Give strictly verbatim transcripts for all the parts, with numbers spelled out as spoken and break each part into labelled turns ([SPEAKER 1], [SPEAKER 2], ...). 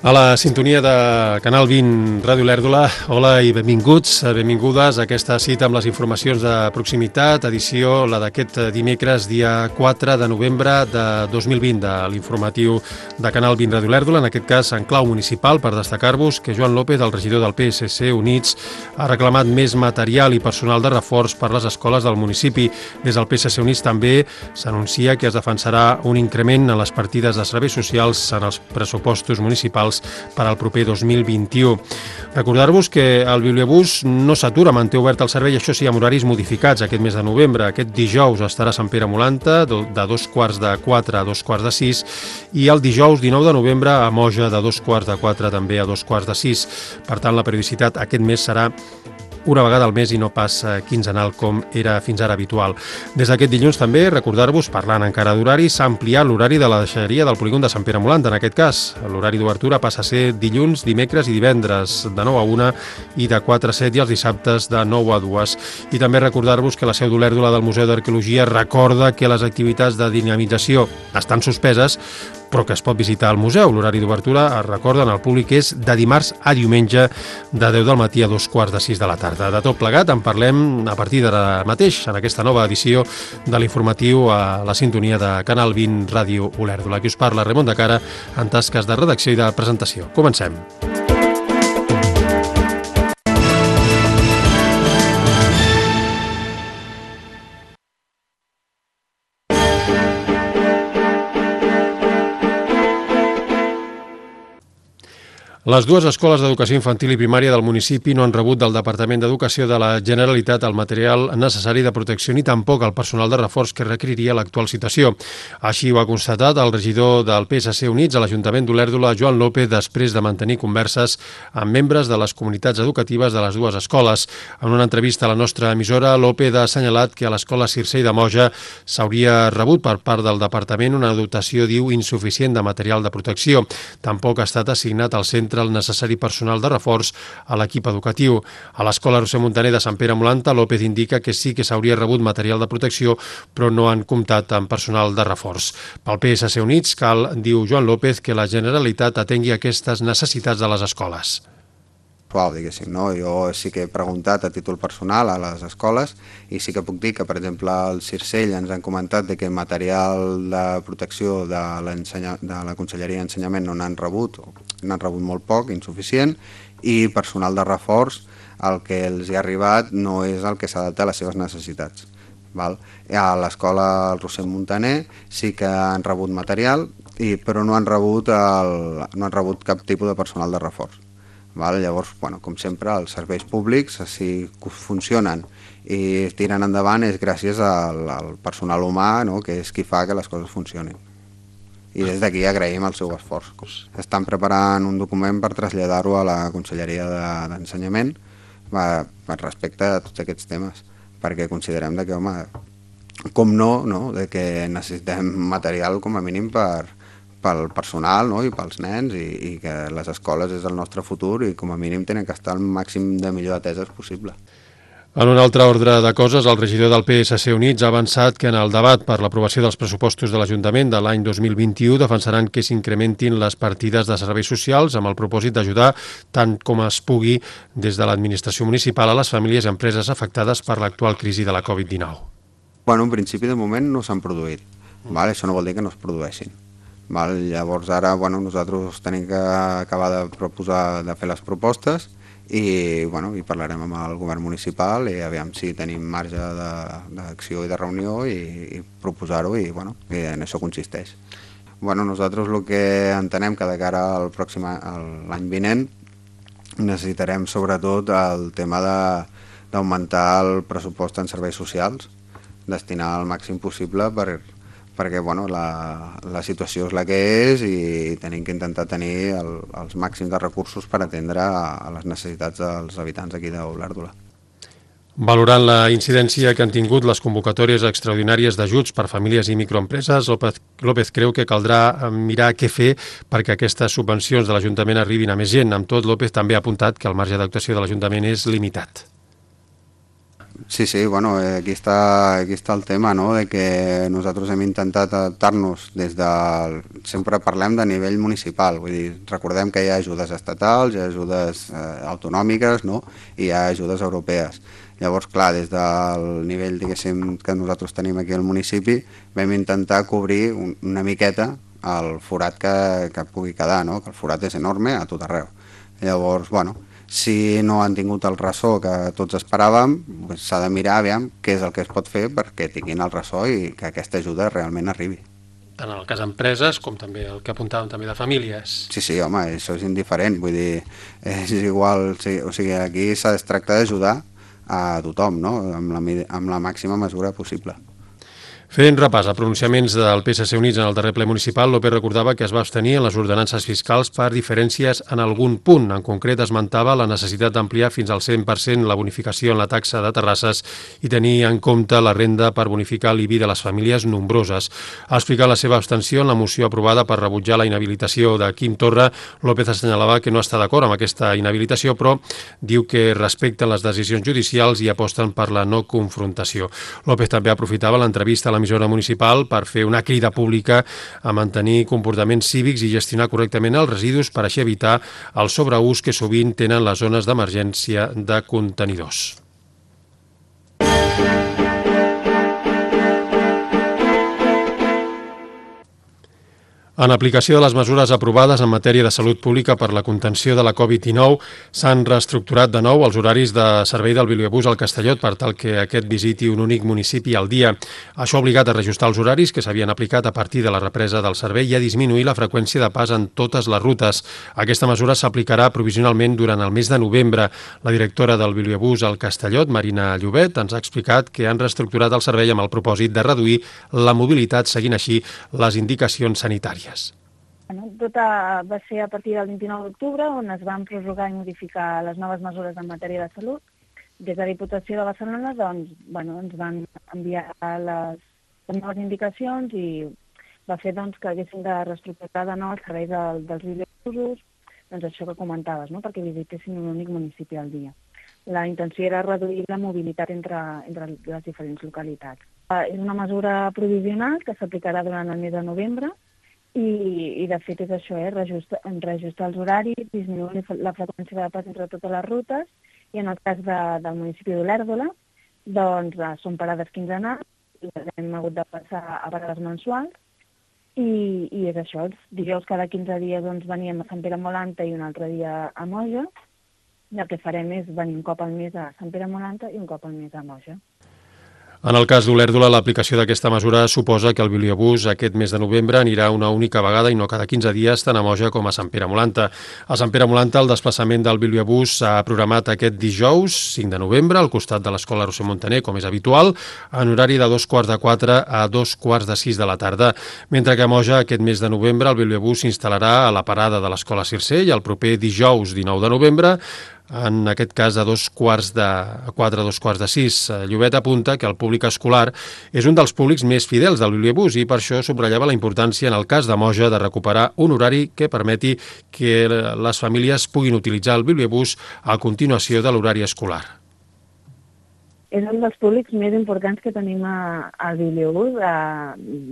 [SPEAKER 1] A la sintonia de Canal vint Ràdio Olèrdola, hola i benvinguts, benvingudes a aquesta cita amb les informacions de proximitat, edició la d'aquest dimecres, dia quatre de novembre de dos mil vint, de l'informatiu de Canal vint Ràdio Olèrdola, en aquest cas en clau municipal, per destacar-vos que Joan López, el regidor del P S C Units, ha reclamat més material i personal de reforç per les escoles del municipi. Des del P S C Units també s'anuncia que es defensarà un increment en les partides de serveis socials en els pressupostos municipals per al proper dos mil vint-i-u. Recordar-vos que el Bibliobús no s'atura, manté obert el servei, això sí, amb horaris modificats aquest mes de novembre. Aquest dijous estarà a Sant Pere Molanta, de dos quarts de quatre a dos quarts de sis, i el dijous dinou de novembre a Moja, de dos quarts de quatre també a dos quarts de sis. Per tant, la periodicitat aquest mes serà una vegada al mes i no pas quinzenal com era fins ara habitual. Des d'aquest dilluns també, recordar-vos, parlant encara d'horari, s'ha ampliat l'horari de la deixalleria del polígon de Sant Pere Molanta. En aquest cas, l'horari d'obertura passa a ser dilluns, dimecres i divendres de nou a una i de quatre a set, i els dissabtes de nou a dues. I també recordar-vos que la seu d'Olèrdola del Museu d'Arqueologia recorda que les activitats de dinamització estan suspeses, però que es pot visitar al museu. L'horari d'obertura, es recorden al públic, és de dimarts a diumenge, de deu del matí a dos quarts de sis de la tarda. De tot plegat en parlem a partir d'ara mateix, en aquesta nova edició de l'informatiu a la sintonia de Canal vint Ràdio Olèrdola. Aquí us parla Ramon de Cara, en tasques de redacció i de presentació. Comencem. Les dues escoles d'educació infantil i primària del municipi no han rebut del Departament d'Educació de la Generalitat el material necessari de protecció ni tampoc el personal de reforç que requeriria l'actual situació. Així ho ha constatat el regidor del P S C Units a l'Ajuntament d'Olèrdola, Joan López, després de mantenir converses amb membres de les comunitats educatives de les dues escoles. En una entrevista a la nostra emissora, López ha assenyalat que a l'escola Circell de Moja s'hauria rebut per part del Departament una dotació, diu, insuficient de material de protecció. Tampoc ha estat assignat al centre el necessari personal de reforç a l'equip educatiu. A l'escola Roser Montaner de Sant Pere Molanta, López indica que sí que s'hauria rebut material de protecció, però no han comptat amb personal de reforç. Pel P S C Units cal, diu Joan López, que la Generalitat atengui aquestes necessitats de les escoles.
[SPEAKER 2] Diguéssim, no? Jo sí que he preguntat a títol personal a les escoles i sí que puc dir que, per exemple, al Circell ens han comentat de que material de protecció de, de la Conselleria d'Ensenyament no n'han rebut, n'han rebut molt poc, insuficient, i personal de reforç, el que els hi ha arribat no és el que s'adapta a les seves necessitats. Val? A l'escola Roser Montaner sí que han rebut material, i, però no han rebut, el, no han rebut cap tipus de personal de reforç. Val? Llavors, bueno, com sempre, els serveis públics, si funcionen i tiren endavant, és gràcies al, al personal humà, no?, que és qui fa que les coses funcionin. I des d'aquí agraïm el seu esforç. Estan preparant un document per traslladar-ho a la Conselleria d'Ensenyament de, respecte a tots aquests temes, perquè considerem que, home, com no, no, de que necessitem material com a mínim per pel personal, no?, i pels nens, i, i que les escoles és el nostre futur i com a mínim tenen que estar al màxim de millor ateses possible.
[SPEAKER 1] En un altre ordre de coses, el regidor del P S C Units ha avançat que en el debat per l'aprovació dels pressupostos de l'Ajuntament de l'any dos mil vint-i-u defensaran que s'incrementin les partides de serveis socials amb el propòsit d'ajudar tant com es pugui des de l'administració municipal a les famílies i empreses afectades per l'actual crisi de la covid dinou.
[SPEAKER 2] Bueno, en principi de moment no s'han produït, val? Això no vol dir que no es produeixin. Val? Llavors ara, bueno, nosaltres tenim que acabar de proposar de fer les propostes i, bueno, i parlarem amb el govern municipal i aviam si tenim marge d'acció i de reunió i, i proposar-ho, i, bueno, i en això consisteix. Bueno, nosaltres el que entenem que de cara al pròxim l'any vinent necessitarem sobretot el tema d'augmentar el pressupost en serveis socials, destinar el màxim possible per perquè bueno, la, la situació és la que és i tenim que intentar tenir el, els màxims de recursos per atendre a, a les necessitats dels habitants aquí d'Olèrdola.
[SPEAKER 1] Valorant la incidència que han tingut les convocatòries extraordinàries d'ajuts per famílies i microempreses, López, López creu que caldrà mirar què fer perquè aquestes subvencions de l'Ajuntament arribin a més gent. Amb tot, López també ha apuntat que el marge d'actuació de l'Ajuntament és limitat.
[SPEAKER 2] Sí, sí, bueno, eh, aquí està, aquí està el tema, no?, de que nosaltres hem intentat adaptar-nos des del... Sempre parlem de nivell municipal, vull dir, recordem que hi ha ajudes estatals, hi ha ajudes eh, autonòmiques, no?, i hi ha ajudes europees. Llavors, clar, des del nivell, diguéssim, que nosaltres tenim aquí al municipi, vam intentar cobrir un, una miqueta el forat que, que pugui quedar, no?, que el forat és enorme a tot arreu. Llavors, bueno, si no han tingut el ressò que tots esperàvem, s'ha de mirar aviam què és el que es pot fer perquè tinguin el ressò i que aquesta ajuda realment arribi.
[SPEAKER 1] Tant en el cas d'empreses com també el que apuntàvem també de famílies.
[SPEAKER 2] Sí, sí, home, això és indiferent, vull dir, és igual, o sigui, aquí s'ha de tractar d'ajudar a tothom, no?, amb la, amb la màxima mesura possible.
[SPEAKER 1] Fent repàs a pronunciaments del P S C Units en el darrer ple municipal, López recordava que es va abstenir en les ordenances fiscals per diferències en algun punt. En concret, esmentava la necessitat d'ampliar fins al cent per cent la bonificació en la taxa de terrasses i tenir en compte la renda per bonificar l'I B I de les famílies nombroses. Ha explicat la seva abstenció en la moció aprovada per rebutjar la inhabilitació de Quim Torra. López assenyalava que no està d'acord amb aquesta inhabilitació, però diu que respecten les decisions judicials i aposten per la no confrontació. López també aprofitava l'entrevista a l'emissora municipal per fer una crida pública a mantenir comportaments cívics i gestionar correctament els residus per així evitar el sobreús que sovint tenen les zones d'emergència de contenidors. En aplicació de les mesures aprovades en matèria de salut pública per la contenció de la covid dinou, s'han reestructurat de nou els horaris de servei del bibliobús al Castellot per tal que aquest visiti un únic municipi al dia. Això ha obligat a reajustar els horaris que s'havien aplicat a partir de la represa del servei i a disminuir la freqüència de pas en totes les rutes. Aquesta mesura s'aplicarà provisionalment durant el mes de novembre. La directora del bibliobús al Castellot, Marina Llobet, ens ha explicat que han reestructurat el servei amb el propòsit de reduir la mobilitat seguint així les indicacions sanitàries.
[SPEAKER 3] Bueno, tot va ser a partir del vint-i-nou d'octubre, on es van prorrogar i modificar les noves mesures en matèria de salut. Des de la Diputació de Barcelona doncs, bueno, ens van enviar les, les noves indicacions i va fer doncs, que haguéssim de reestructurar de nou el servei del, dels bibliobusos, doncs això que comentaves, no?, perquè visitessin un únic municipi al dia. La intenció era reduir la mobilitat entre, entre les diferents localitats. Uh, és una mesura provisional que s'aplicarà durant el mes de novembre, I, i de fet és això, eh? reajustar, reajustar els horaris, disminuir la freqüència de pas entre totes les rutes, i en el cas de, del municipi d'Olèrdola, doncs són parades quinzenals, i les hem hagut de passar a parades mensuals, i, i és això, els dijous cada quinze dies doncs, veníem a Sant Pere Molanta i un altre dia a Moja, i el que farem és venir un cop al mes a Sant Pere Molanta i un cop al mes a Moja.
[SPEAKER 1] En el cas d'Olèrdola, l'aplicació d'aquesta mesura suposa que el bibliobús aquest mes de novembre anirà una única vegada i no cada quinze dies tant a Moja com a Sant Pere Molanta. A Sant Pere Molanta, el desplaçament del bibliobús s'ha programat aquest dijous, cinc de novembre, al costat de l'Escola Roser Montaner, com és habitual, en horari de dos quarts de quatre a dos quarts de sis de la tarda. Mentre que a Moja, aquest mes de novembre, el bibliobús s'instal·larà a la parada de l'Escola Circell el proper dijous dinou de novembre, en aquest cas a dos quarts de quatre a dos quarts de sis. Llobet apunta que el públic escolar és un dels públics més fidels del bibliobús i per això subratllava la importància en el cas de Moja de recuperar un horari que permeti que les famílies puguin utilitzar el bibliobús a continuació de l'horari escolar.
[SPEAKER 3] És un dels públics més importants que tenim a, al bibliobús de,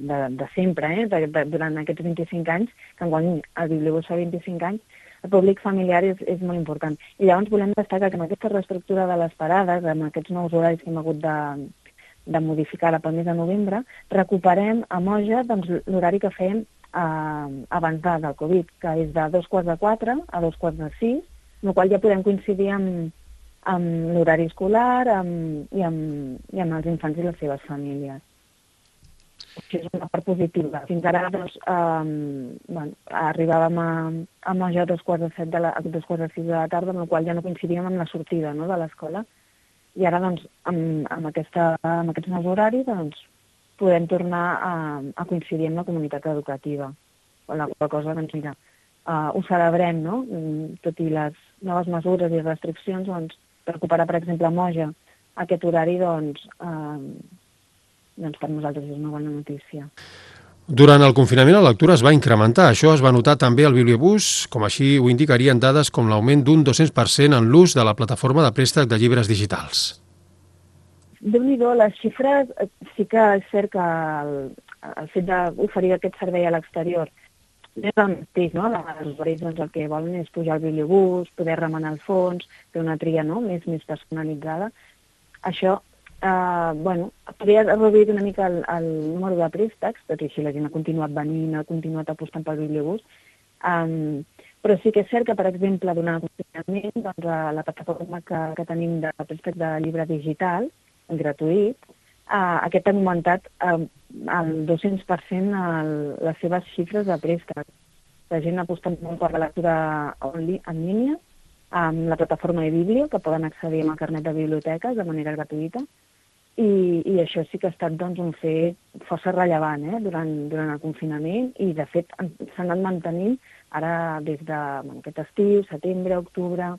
[SPEAKER 3] de, de sempre, eh? de, de, durant aquests vint-i-cinc anys, que quan el bibliobús fa vint-i-cinc anys, el públic familiar és, és molt important. I llavors volem destacar que amb aquesta reestructura de les parades, amb aquests nous horaris que hem hagut de, de modificar pel mes de novembre, recuperem a Moja doncs, l'horari que fèiem eh, abans de, del Covid, que és de dos quarts de quatre a dos quarts de sis, amb la qual ja podem coincidir amb, amb l'horari escolar amb, i, amb, i amb els infants i les seves famílies. Això és una part positiva. Fins ara doncs, um, bueno, arribàvem a, a Moja a dos quarts de set de la, a dos quarts de sis de la tarda, amb la qual ja no coincidíem amb la sortida, no?, de l'escola. I ara, doncs, amb, amb, aquesta, amb aquests nous horaris, doncs, podem tornar a, a coincidir amb la comunitat educativa. O la qual cosa, doncs, mira, uh, ho celebrem, no?, tot i les noves mesures i restriccions, doncs, recuperar, per exemple, a Moja aquest horari, doncs, uh, doncs per nosaltres és una bona notícia.
[SPEAKER 1] Durant el confinament la lectura es va incrementar. Això es va notar també al bibliobús, com així ho indicarien dades com l'augment d'un dos-cents per cent en l'ús de la plataforma de préstec de llibres digitals.
[SPEAKER 3] Déu-n'hi-do, les xifres sí que és cert que el, el fet d'oferir aquest servei a l'exterior és el mateix, no? Els usuaris doncs, el que volen és pujar al bibliobús, poder remenar el fons, fer una tria, no? més, més personalitzada. Això, eh, bueno, podria haver reduït una mica el, el número de préstecs, tot i així la gent ha continuat venint, ha continuat apostant pel bibliobús. Um, però sí que és cert que, per exemple, durant el confinament, doncs, la plataforma que, que tenim de préstec de llibre digital, gratuït, uh, aquest ha augmentat uh, el dos-cents per cent el, les seves xifres de préstec. La gent ha apostat molt per la lectura en línia, amb la plataforma de Biblio, que poden accedir amb el carnet de biblioteques de manera gratuïta, i, i això sí que ha estat doncs, un fet força rellevant eh, durant, durant el confinament, i de fet s'ha anat mantenint ara des de bueno, aquest estiu, setembre, octubre.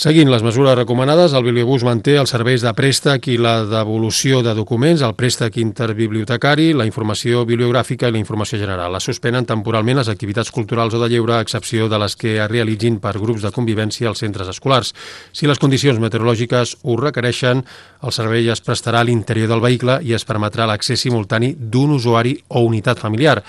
[SPEAKER 1] Seguint les mesures recomanades, el Bibliobús manté els serveis de préstec i la devolució de documents, el préstec interbibliotecari, la informació bibliogràfica i la informació general. Es suspenen temporalment les activitats culturals o de lleure, a excepció de les que es realitzin per grups de convivència als centres escolars. Si les condicions meteorològiques ho requereixen, el servei es prestarà a l'interior del vehicle i es permetrà l'accés simultani d'un usuari o unitat familiar.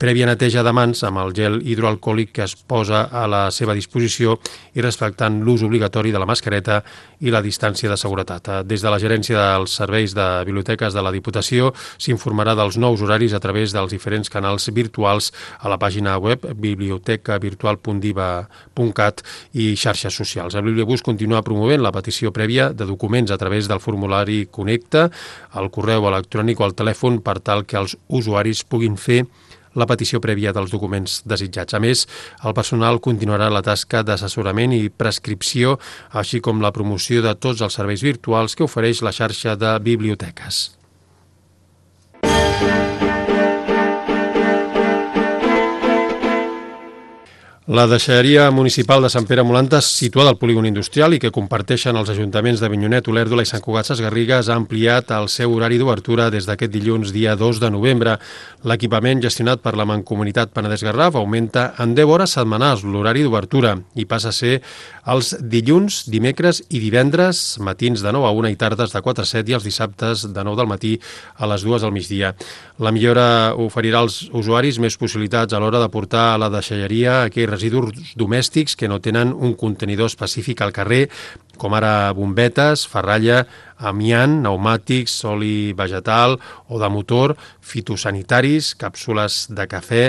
[SPEAKER 1] Prèvia neteja de mans amb el gel hidroalcohòlic que es posa a la seva disposició i respectant l'ús obligatori de la mascareta i la distància de seguretat. Des de la gerència dels serveis de biblioteques de la Diputació s'informarà dels nous horaris a través dels diferents canals virtuals a la pàgina web biblioteca virtual punt diva punt cat i xarxes socials. El Bibliobús continua promovent la petició prèvia de documents a través del formulari Connecta, el correu electrònic o el telèfon per tal que els usuaris puguin fer la petició prèvia dels documents desitjats. A més, el personal continuarà la tasca d'assessorament i prescripció, així com la promoció de tots els serveis virtuals que ofereix la xarxa de biblioteques. La deixalleria municipal de Sant Pere Molantes, situada al polígon industrial i que comparteixen els ajuntaments de Avinyonet, Olèrdola i Sant Cugat Sesgarrigues, ha ampliat el seu horari d'obertura des d'aquest dilluns, dia dos de novembre. L'equipament gestionat per la Mancomunitat Penedès-Garraf augmenta en deu hores setmanals l'horari d'obertura i passa a ser els dilluns, dimecres i divendres, matins de nou a una i tardes de quatre a set i els dissabtes de nou del matí a les dues del migdia. La millora oferirà als usuaris més possibilitats a l'hora de portar a la deixalleria aquells residus domèstics que no tenen un contenidor específic al carrer, com ara bombetes, ferralla, amiant, pneumàtics, oli vegetal o de motor, fitosanitaris, càpsules de cafè,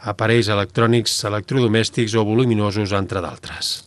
[SPEAKER 1] aparells electrònics, electrodomèstics o voluminosos, entre d'altres.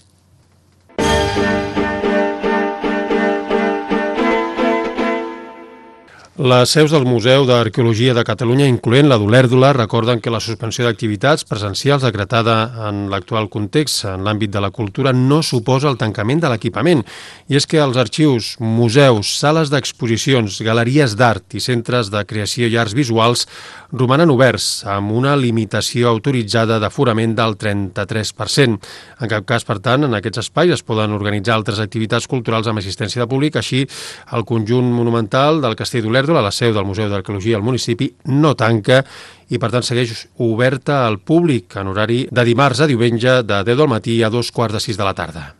[SPEAKER 1] Les seus del Museu d'Arqueologia de Catalunya, incloent la d'Olèrdola, recorden que la suspensió d'activitats presencials decretada en l'actual context en l'àmbit de la cultura no suposa el tancament de l'equipament. I és que els arxius, museus, sales d'exposicions, galeries d'art i centres de creació i arts visuals romanen oberts amb una limitació autoritzada d'aforament del trenta-tres per cent. En cap cas, per tant, en aquests espais es poden organitzar altres activitats culturals amb assistència de públic. Així, el conjunt monumental del Castell d'Olèrdola, a la seu del Museu d'Arqueologia al municipi, no tanca i, per tant, segueix oberta al públic en horari de dimarts a diumenge de deu del matí a dos quarts de sis de la tarda.